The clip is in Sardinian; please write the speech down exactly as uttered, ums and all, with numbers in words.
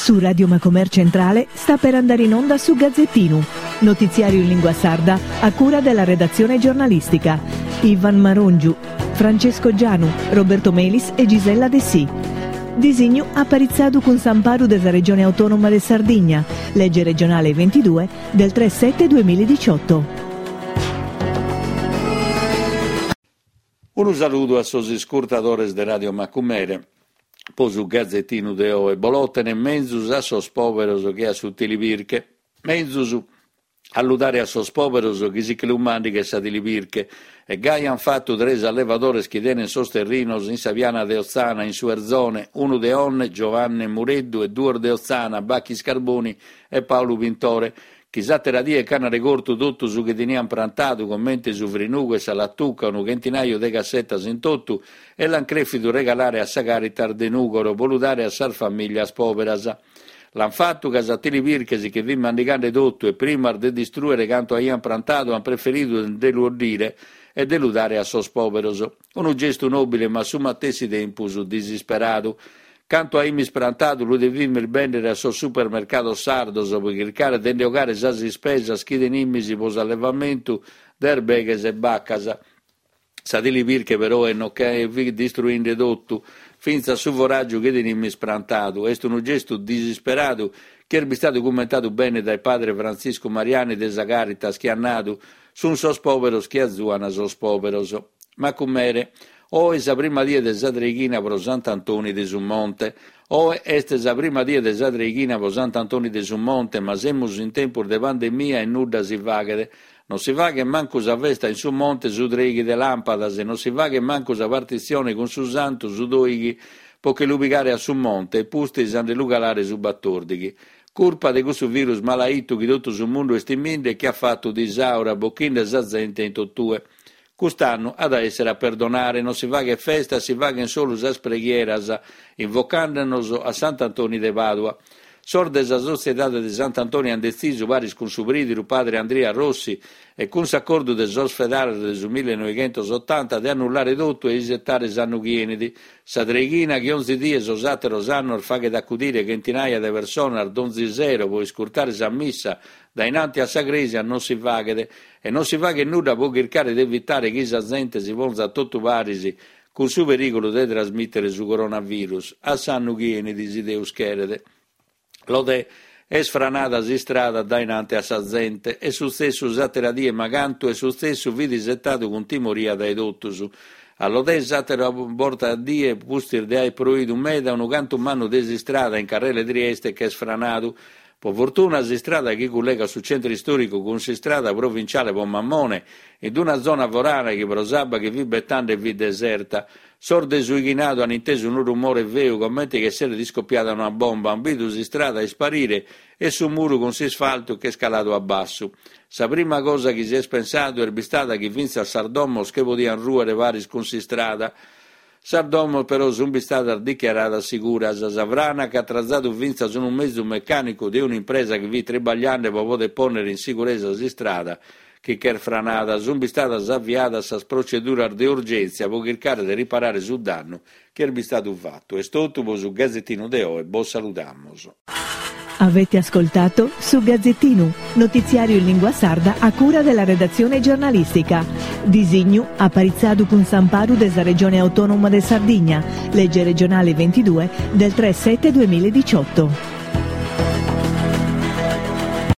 Su Radio Macomer Centrale sta per andare in onda su Gazzettinu, notiziario in lingua sarda a cura della redazione giornalistica. Ivan Marongiu, Francesco Gianu, Roberto Melis e Gisella Dessì. Disignu aparitzadu cun s'amparu de sa Regione Autonoma de Sardigna, legge regionale ventidue del tre sette duemiladiciotto. Unu saludu a sos iscurtadores de Radio Macumere. Po su Gazzettinu de oe, Bolotene menzus a sos pòberos che a su tilibirche. Menzus a lu dare a sos pòberos chi si che lu màndighet sa tilibirche. E gai an fatu tres allevadores chi tenen sos terrinos in sa piana de Otzana, in su Erzone, unu de Onne, Giovanni Mureddu, e duos de Otzana, Bachis Carboni e Paulu Pintore, chi s'àtera die ch'an regortu totu su chi tenian prantadu, comente su frinugu e sa lattuca, unu chentinaju de cassetas in totu, e l'an crèfidu regalare a sa Caritas de Nùgoro pro lu dare a sas famìlias pòberas. L'an fatu ca sa tilibirche si che fit mandigande totu e primas de distrùere cantu aian prantadu an preferidu de lu 'oddire e de lu dare a sos pòberos. Unu gestu nòbile ma a su matessi tempus disisperadu. Cantu aimis prantadu lu devimis bèndere a sos supermercados sardos pro chircare de nde 'ogare sas ispesas chi tenimis pro s'allevamentu de erbeghes e bacas. Sa tilibirche peroe no che fit distruinde totu, fintzas su foràgiu chi tenimis prantadu. Est unu gestu disisperadu chi est bistadu cummentadu bene dae padre Frantziscu Mariani de sa Caritas chi at nadu Sun sos pòberos chi azuan sos pòberos. Macumere. Oe sa prima die de sa treighina pro Sant'Antoni de su Monte. Oe est sa prima die de sa treighina pro Sant'Antoni de su Monte, ma semus in tempus de pandemia e nudda si faghet. Non si faghet mancu sa festa in su monte su trèighi de làmpadas e non si faghet mancu sa partitzione cun su santu su dòighi pro che lu pigare a su monte e pustis a nde lu calare su batòrdighi. Curpa de cussu virus malaitu chi totu su mundu est timinde e chi at fatu disaura bochinde sa zente in totue. Cust'annu at a èssere a perdonare, non si faghet festa, si faghen solu sas preghieras, invocàndenos a Sant'Antoni de Pàdua. Sos de sa Sotziedade de Sant'Antoni an detzisu, paris cun su prìdiru padre Andria Rossi e cun s'acordu de sos fedales de su millenoghentos otanta, de annullare totu e isetare s'annu chi 'enit. Sa treighina chi onzi die sos àteros annos faghet acudire chentinaia de personas donzi sero pro iscurtare sa missa dae innanti a sa crèsia non si faghet e non si faghet nudda pro chircare de evitare chi sa zente si ponzat totu paris cun su perìgulu de trasmìtere su coronavirus a s'annu chi 'enit si Deus cheret. Lodè est franada s'istrada dae innanti a sa zente. Est sutzessu s'àtera die ma cantu est sutzessu fit isetadu cun timoria dae totus. A Lodè s'àtera borta a die, pustis de aer proidu meda, unu cantu mannu de s'istrada in carrela 'e Trieste ch'est franadu. Po fortuna s'istrada chi cullegat su centru istòricu cun s'istrada provinciale po Mammone, in una zona forana chi pro s'abba chi fit betande fit deserta. Sos de su 'ighinadu an intesu unu rumore feu comente chi esseret iscopiada una bomba, an bidu s'istrada isparire e su muru cun s'isfaltu ch'est caladu a bassu. Sa prima cosa chi si est pensadu est bistada chi fintzas sas domos che podian rùere paris cun s'istrada. Sas domos però sunt bistadas dichiaradas siguras. Sa frana ch'at trazadu fintzas unu mezu mecànicu de un'impresa chi fit tribagliande pro poder pònnere in siguresa s'istrada chi ch'est franada. Sunt bistadas aviadas sas proceduras de urgèntzia pro chircare de riparare su dannu chi est bistadu fatu. Est totu pro su Gazzettinu de oe. Bos saludamos. Avete ascoltato Su Gazzettinu, notiziario in lingua sarda a cura della redazione giornalistica. Disignu aparitzadu cun s'amparu de sa Regione Autonoma de Sardigna, legge regionale ventidue del tre sette duemiladiciotto.